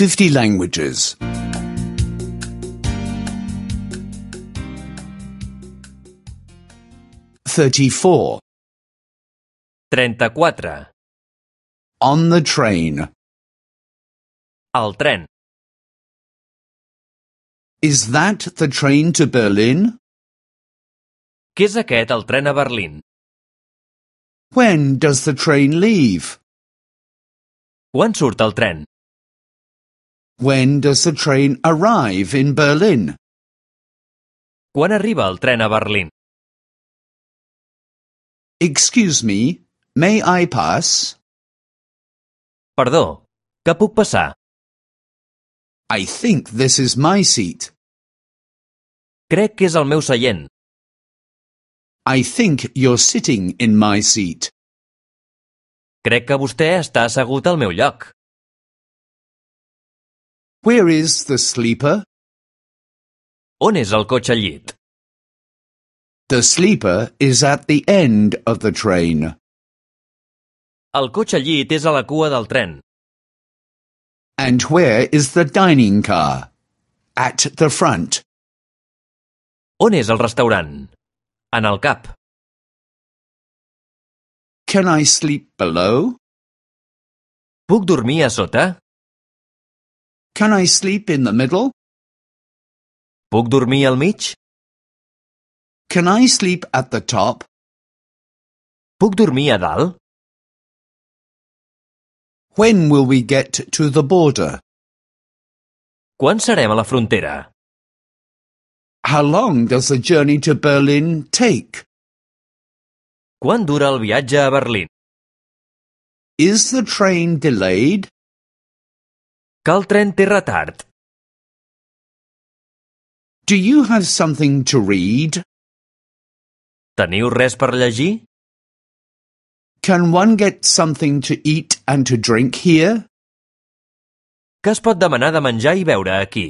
50 languages. 34. 34. On the train. El tren. Is that the train to Berlin? Què és aquest, el tren a Berlín? When does the train leave? Quan surt el tren? When does the train arrive in Berlin? Quan arriba el tren a Berlín? Excuse me, may I pass? Perdó, que puc passar? I think this is my seat. Crec que és el meu seient. I think you're sitting in my seat. Crec que vostè està assegut al meu lloc. Where is the sleeper? On és el cotxe llit? The sleeper is at the end of the train. El cotxe llit és a la cua del tren. And where is the dining car? At the front. On és el restaurant? En el cap. Can I sleep below? Puc dormir a sota? Can I sleep in the middle? Puc dormir al mig? Can I sleep at the top? Puc dormir a dalt? When will we get to the border? Quan serem a la frontera? How long does the journey to Berlin take? Quant dura el viatge a Berlín? Is the train delayed? Que el tren té retard. Do you have something to read? Teniu res per llegir? Can one get something to eat and to drink here? Què es pot demanar de menjar i beure aquí?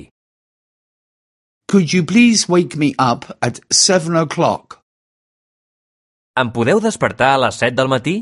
Could you please wake me up at 7 o'clock? Em podeu despertar a les 7 del matí?